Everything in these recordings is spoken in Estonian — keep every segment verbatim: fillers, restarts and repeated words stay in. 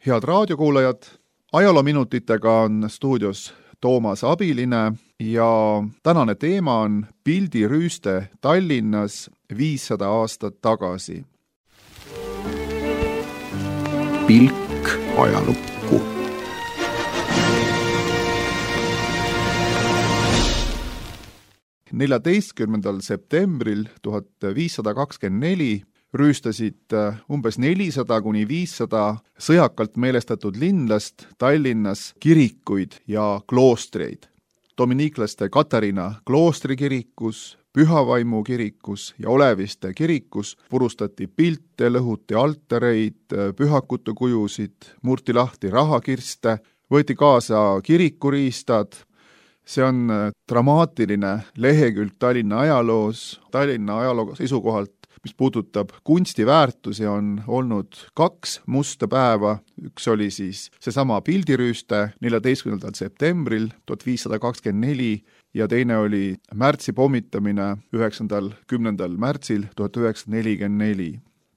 Head raadiokuulajad, ajaloominutitega on stuudios Toomas Abiline ja tänane teema on pildirüüste Tallinnas viissada aastat tagasi. Pilk ajalukku. neljateistkümnendal septembril tuhat viissada kakskümmend neli rüüstasid umbes nelisada kuni viissada sõjakalt meelestatud linlast Tallinnas kirikuid ja kloostreid. Dominiiklaste Katariina kloostri kirikus, Pühavaimu kirikus ja Oleviste kirikus purustati pilte, lõhuti altareid, pühakute kujusid, murti lahti rahakirste, võeti kaasa kirikuriistad. See on dramaatiline lehekülg Tallinna ajaloos, Tallinna ajaloo seisukohalt, mis puudutab kunstiväärtusi, on olnud kaks musta päeva. Üks oli siis seesama pildirüüste neljateistkümnendal septembril tuhat viissada kakskümmend neli ja teine oli märtsi pommitamine üheksandal kümnendal märtsil tuhat üheksasada nelikümmend neli.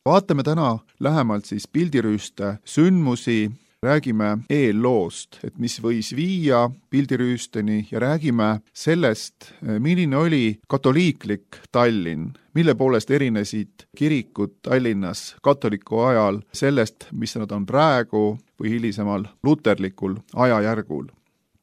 Vaatame täna lähemalt siis pildirüüste sündmusi, räägime eelloost, et mis võis viia pildirüüsteni ja räägime sellest, milline oli katoliiklik Tallinn, mille poolest erinesid kirikud Tallinnas katoliku ajal sellest, mis nad on praegu või hilisemal luterlikul ajajärgul.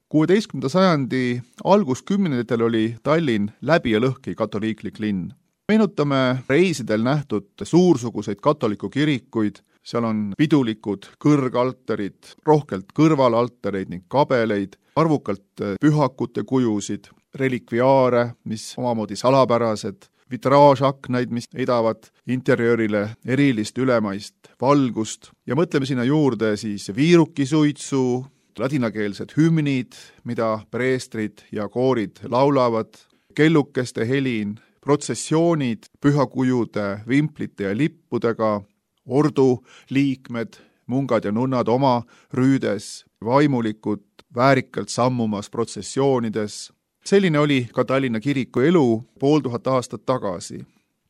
kuueteistkümnenda sajandi alguskümnenditel oli Tallinn läbi ja lõhki katoliiklik linn. Meenutame reisidel nähtud suursuguseid katoliku kirikuid, seal on pidulikud kõrgaltarid, rohkelt kõrvalaltareid ning kabeleid, arvukalt pühakute kujusid, relikviaare, mis omamoodi salapärased, vitraažaknaid, mis heidavad interjöörile erilist ülemaist valgust ja mõtleme sinna juurde siis viirukisuitsu, ladinakeelsed hümnid, mida preestrid ja koorid laulavad, kellukeste helin, protsessioonid pühakujude, vimplite ja lippudega, ordu liikmed, mungad ja nunnad oma rüüdes, vaimulikud väärikalt sammumas protsessioonides. Selline oli ka Tallinna kiriku elu pool tuhat aastat tagasi.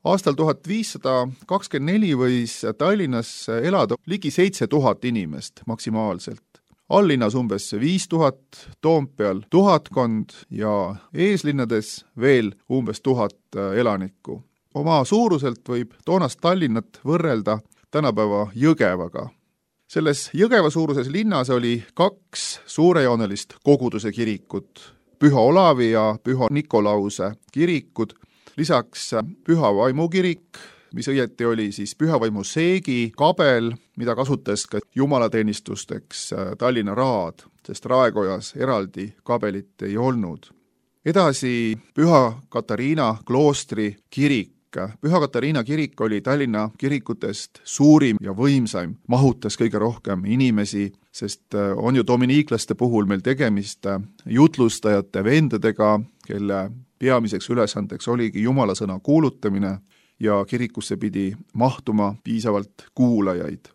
Aastal tuhat viissada kakskümmend neli võis Tallinnas elada ligi seitse tuhat inimest maksimaalselt. Alllinnas umbes viis tuhat, Toompeal tuhatkond ja eeslinnades veel umbes tuhat elanikku. Oma suuruselt võib toonast Tallinnat võrrelda tänapäeva Jõgevaga. Selles Jõgeva suuruses linnas oli kaks suurejoonelist koguduse kirikut, Püha Olavi ja Püha Nikolause kirikud, lisaks Pühavaimu kirik, mis õieti oli siis Pühavaimu seegi kabel, mida kasutas ka jumalateenistusteks Tallinna Raad, sest Raekojas eraldi kabelit ei olnud. Edasi Püha Katariina kloostri kirik. Püha Katariina kirik oli Tallinna kirikutest suurim ja võimsaim, mahutas kõige rohkem inimesi, sest on ju dominiiklaste puhul meil tegemist jutlustajate vendadega, kelle peamiseks ülesandeks oligi jumalasõna kuulutamine ja kirikusse pidi mahtuma piisavalt kuulajaid.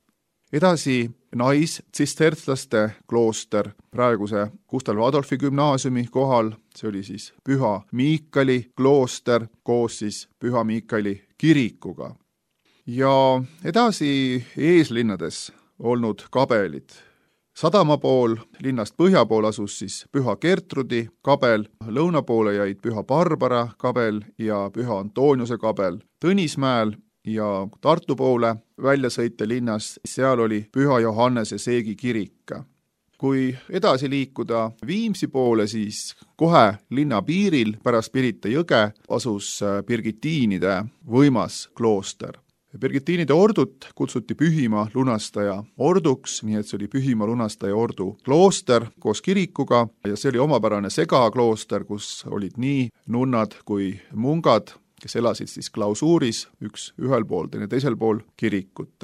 Edasi nais-tsistertslaste klooster praeguse Gustav Adolfi gümnaasiumi kohal, see oli siis Püha Miikali klooster koos siis Püha Miikali kirikuga. Ja edasi eeslinnades olnud kabelid. Sadama pool, linnast põhja pool asus siis Püha Gertrudi kabel, lõuna poole jäid Püha Barbara kabel ja Püha Antoniuse kabel. Tõnismäel ja Tartu poole väljasõite linnas, seal oli Püha Johannese seegi kirik. Kui edasi liikuda Viimsi poole, siis kohe linna piiril pärast Pirita jõge asus Birgitiinide võimas klooster. Birgitiinide ordut kutsuti Pühima lunastaja orduks, nii et see oli Pühima lunastaja ordu klooster koos kirikuga ja see oli omapärane segaklooster, kus olid nii nunnad kui mungad, kes elasid siis klausuuris, üks ühel pool, teine teisel pool kirikut.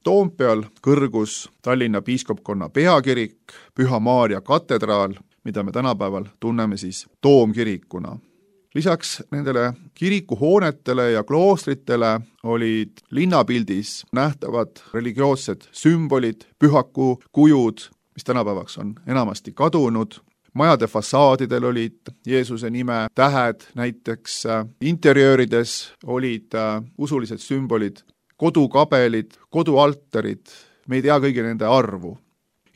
Toompeal kõrgus Tallinna piiskopkonna peakirik, Püha Maarja katedraal, mida me tänapäeval tunneme siis toomkirikuna. Lisaks nendele kirikuhoonetele ja kloostritele olid linnapildis nähtavad religioossed sümbolid, pühaku kujud, mis tänapäevaks on enamasti kadunud. Majade fassaadidel olid Jeesuse nime tähed, näiteks interjöörides olid usulised sümbolid, kodukabelid, kodualtarid, me ei tea kõigi nende arvu.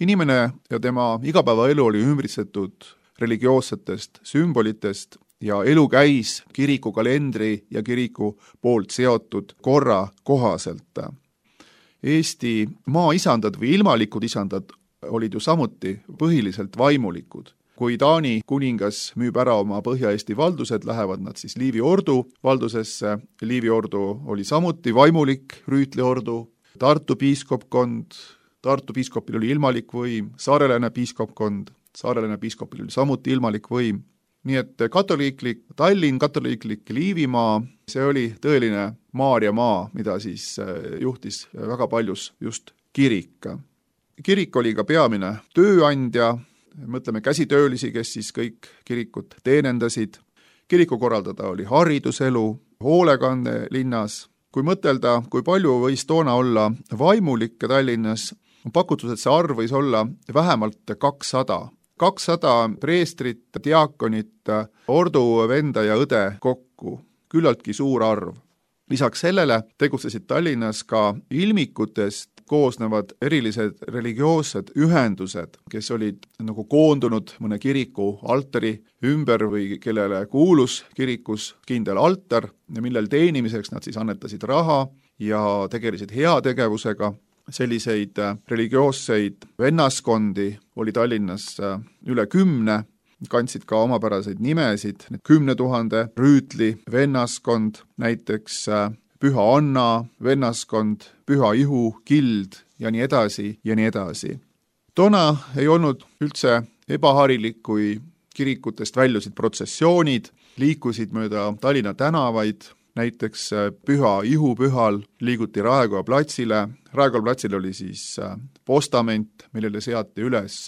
Inimene ja tema igapäevaelu oli ümbritsetud religioossetest sümbolitest ja elu käis kiriku kalendri ja kiriku poolt seotud korra kohaselt. Eesti maaisandad või ilmalikud isandad olid ju samuti põhiliselt vaimulikud. Kui Taani kuningas müüb ära oma Põhja-Eesti valdused, lähevad nad siis Liivi ordu valdusesse. Liivi ordu oli samuti vaimulik rüütliordu, Tartu piiskopkond, Tartu piiskopil oli ilmalik võim, saarelane piiskopkond, saarelane piiskopil oli samuti ilmalik võim. Nii et katoliiklik Tallinn, katoliiklik Liivimaa, see oli tõeline Maarja maa, mida siis juhtis väga paljus just kirik. Kirik oli ka peamine tööandja, mõtleme käsitöölisi, kes siis kõik kirikut teenendasid. Kiriku korraldada oli hariduselu, hoolekanne linnas. Kui mõtelda, kui palju võis toona olla vaimulikke Tallinnas, on pakutud, et see arv võis olla vähemalt kakssada. kakssada preestrit, diaakonit, ordu venda ja õde kokku, küllaltki suur arv. Lisaks sellele tegutsesid Tallinnas ka ilmikutest koosnevad erilised religioossed ühendused, kes olid nagu koondunud mõne kiriku altari ümber või kellele kuulus kirikus kindel altar, millel teenimiseks nad siis annetasid raha ja tegelesid heategevusega. Selliseid religioosseid vennaskondi oli Tallinnas üle kümne, kandsid ka omapäraseid nimesid, kümne tuhande rüütli vennaskond, näiteks Püha Anna vennaskond, Püha Ihu kild ja nii edasi ja nii edasi. Toona ei olnud üldse ebaharilik, kui kirikutest väljusid protsessioonid, liikusid mööda Tallinna tänavaid, näiteks Püha Ihu pühal liiguti Raekoja platsile. Raekoja platsil oli siis postament, millele seati üles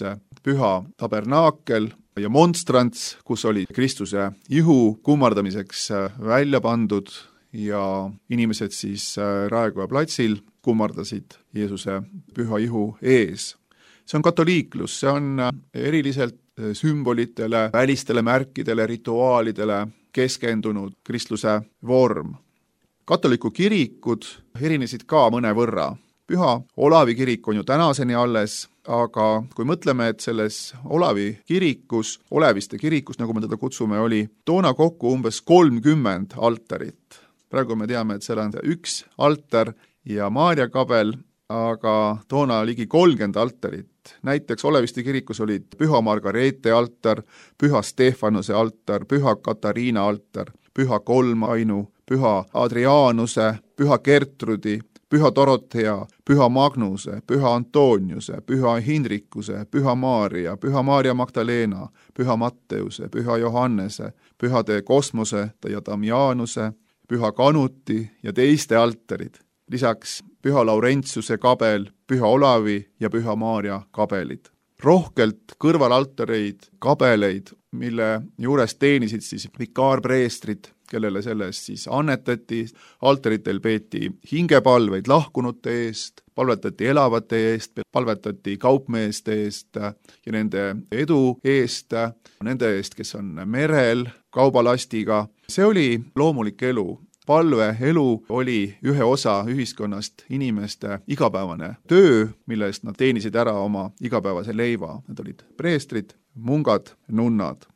püha tabernaakel ja monstrants, kus oli Kristuse ihu kummardamiseks välja pandud ja inimesed siis Raekoja platsil kummardasid Jeesuse püha ihu ees. See on katoliiklus, see on eriliselt sümbolitele, välistele märkidele, rituaalidele keskendunud kristluse vorm. Katoliku kirikud erinesid ka mõne võrra. Püha Olavi kirik on ju tänaseni alles, aga kui mõtleme, et selles Olavi kirikus, Oleviste kirikus, nagu me teda kutsume, oli toona kokku umbes kolmkümmend altarit. Praegu me teame, et seal on üks altar ja Maarja kabel, aga toona ligi kolmkümmend altarit. Näiteks Oleviste kirikus olid Püha Margareete altar, Püha Stefanuse altar, Püha Katariina altar, Püha Kolmainu, Püha Adrianuse, Püha Gertrudi, Püha Dorothea, Püha Magnuse, Püha Antoniuse, Püha Hindrikuse, Püha Maaria, Püha Maaria Magdalena, Püha Matteuse, Püha Johannese, Pühade Kosmose ja Damianuse, Püha Kanuti ja teiste altarid. Lisaks Püha Laurentiuse kabel, Püha Olavi ja Püha Maaria kabelid. Rohkelt kõrvalaltareid, kabeleid, mille juures teenisid siis vikaarpreestrid, kellele sellest siis annetati. Altaritel peeti hingepalveid lahkunute eest, palvetati elavate eest, palvetati kaupmeeste eest ja nende edu eest, nende eest, kes on merel kaubalastiga. See oli loomulik elu. Palve elu oli ühe osa ühiskonnast inimeste igapäevane töö, millest nad teenisid ära oma igapäevase leiva. Need olid preestrid, mungad, nunnad.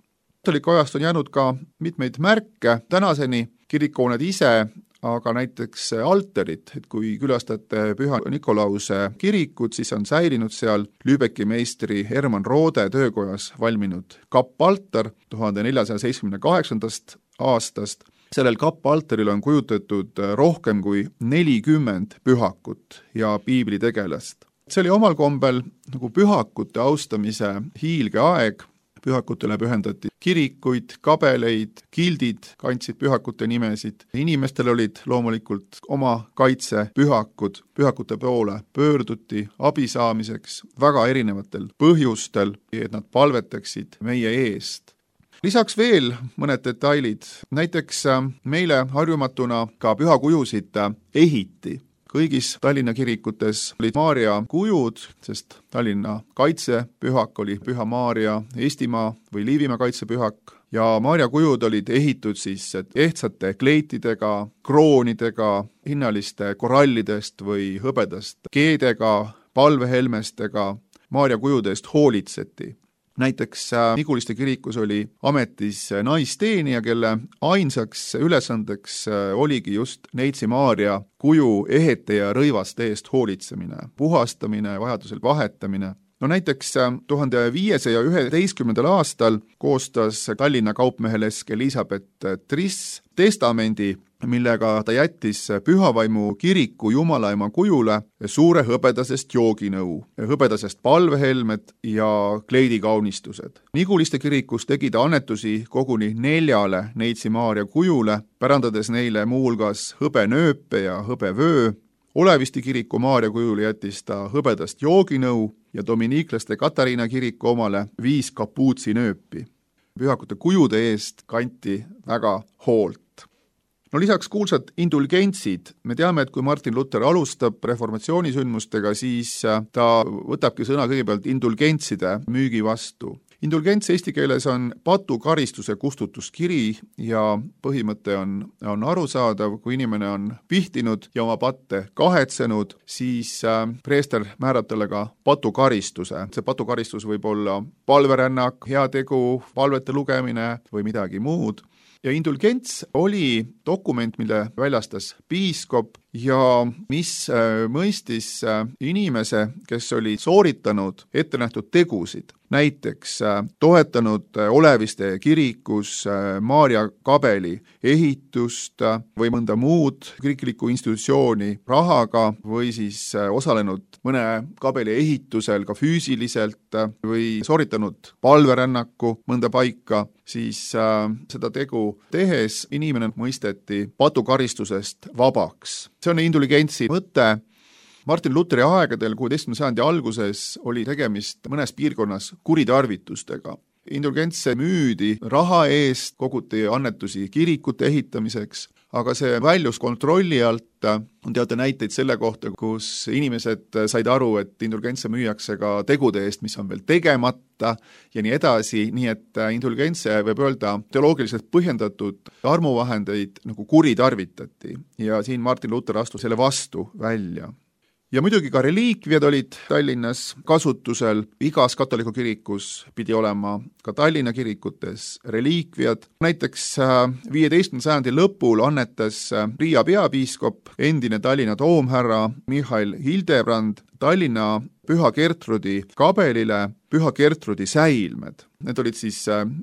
Katoliku ajast on jäänud ka mitmeid märke. Tänaseni kirikuhooned ise, aga näiteks altarid, et kui külastate Püha Nikolause kirikut, siis on säilinud seal Lübecki meistri Herman Roode töökojas valminud kappaltar tuhande neljasaja seitsmekümne kaheksandast aastast. Sellel kappaltaril on kujutatud rohkem kui nelikümmend pühakut ja piiblitegelast. See oli omal kombel nagu pühakute austamise hiilge aeg. Pühakutele pühendati kirikuid, kabeleid, kildid kandsid pühakute nimesid. Inimestel olid loomulikult oma kaitsepühakud. Pühakute poole pöörduti abi saamiseks väga erinevatel põhjustel, et nad palvetaksid meie eest. Lisaks veel mõned detailid. Näiteks meile harjumatuna ka pühakujusid ehiti. Kõigis Tallinna kirikutes olid Maaria kujud, sest Tallinna kaitsepühak oli Püha Maaria, Eestimaa või Liivimaa kaitsepühak. Ja Maaria kujud olid ehitud siis ehtsate kleitidega, kroonidega, hinnaliste korallidest või hõbedast keedega, palvehelmestega Maarja kujude eest hoolitseti. Näiteks Niguliste kirikus oli ametis naisteenija, kelle ainsaks ülesandeks oligi just Neitsi Maarja kuju ehete ja rõivaste eest hoolitsemine, puhastamine, vajadusel vahetamine. No näiteks tuhande viiesaja üheteistkümnendal aastal koostas Tallinna kaupmehelesk Elisabeth Triss testamendi, millega ta jättis Pühavaimu kiriku jumalaema kujule suure hõbedasest jooginõu, hõbedasest palvehelmed ja kleidikaunistused. Niguliste kirikus tegi ta annetusi koguni neljale Neitsi Maarja kujule, pärandades neile muuhulgas hõbenööpe ja hõbevöö. Olevisti kiriku Maarja kujule jättis ta hõbedast jooginõu ja dominiiklaste Katariina kiriku omale viis kapuutsinööpi. Pühakute kujude eest kanti väga hoolt. No lisaks kuulsad indulgentsid. Me teame, et kui Martin Luther alustab reformatsioonisündmustega, siis ta võtabki sõna kõigepealt indulgentside müügi vastu. Indulgents eesti keeles on patukaristuse kustutuskiri ja põhimõte on, on arusaadav, kui inimene on pihtinud ja oma patte kahetsenud, siis preester määrab talle ka patukaristuse. See patukaristus võib olla palverännak, heategu, palvete lugemine või midagi muud. Ja indulgents oli dokument, mille väljastas piiskop ja mis mõistis inimese, kes oli sooritanud ettenähtud tegusid. Näiteks toetanud Oleviste kirikus Maarja kabeli ehitust või mõnda muud kiriklikku institutsiooni rahaga või siis osalenud mõne kabeli ehitusel ka füüsiliselt või sooritanud palverännaku mõnda paika, siis seda tegu tehes inimene mõisteti patukaristusest vabaks. See on indulgentsi mõte. Martin Lutheri aegadel kuueteistkümnenda sajandi alguses oli tegemist mõnes piirkonnas kuritarvitustega. Indulgentse müüdi raha eest, koguti annetusi kirikute ehitamiseks, aga see väljus kontrolli alt. On teada näiteid selle kohta, kus inimesed said aru, et indulgentse müüakse ka tegude eest, mis on veel tegemata ja nii edasi, nii et indulgentse võib öelda teoloogiliselt põhjendatud armuvahendeid nagu kuritarvitati ja siin Martin Luther astus selle vastu välja. Ja muidugi ka reliikviad olid Tallinnas kasutusel. Igas katoliku kirikus pidi olema ka Tallinna kirikutes reliikviad. Näiteks viieteistkümnenda sajandi lõpul annetas Riia peapiiskop, endine Tallinna toomhärra Michael Hildebrand Tallinna Püha Gertrudi kabelile Püha Gertrudi säilmed. Need olid siis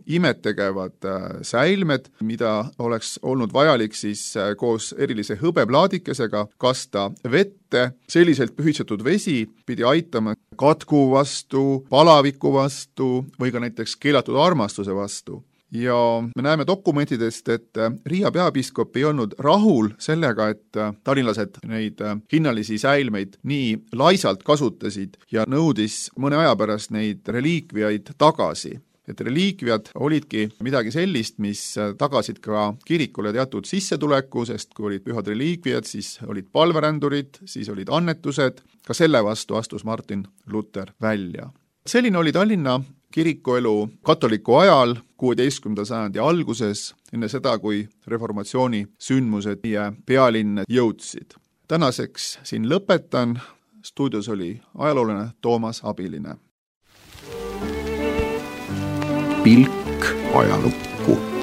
imetegevad säilmed, mida oleks olnud vajalik siis koos erilise hõbeplaadikesega kasta vette. Selliselt pühitsetud vesi pidi aitama katku vastu, palaviku vastu või ka näiteks keelatud armastuse vastu. Ja me näeme dokumentidest, et Riia peapiiskop ei olnud rahul sellega, et tallinlased neid hinnalisi säilmeid nii laisalt kasutasid ja nõudis mõne aja pärast neid reliikviaid tagasi. Et reliikviad olidki midagi sellist, mis tagasid ka kirikule teatud sissetuleku, sest kui olid pühad reliikviad, siis olid palverändurid, siis olid annetused. Ka selle vastu astus Martin Luther välja. Selline oli Tallinna kirikuelu katoliku ajal kuueteistkümnenda sajandi alguses, enne seda, kui reformatsiooni sündmused meie pealinne jõudsid. Tänaseks siin lõpetan. Stuudios oli ajaloolane Toomas Abiline. Pilk ajalukku.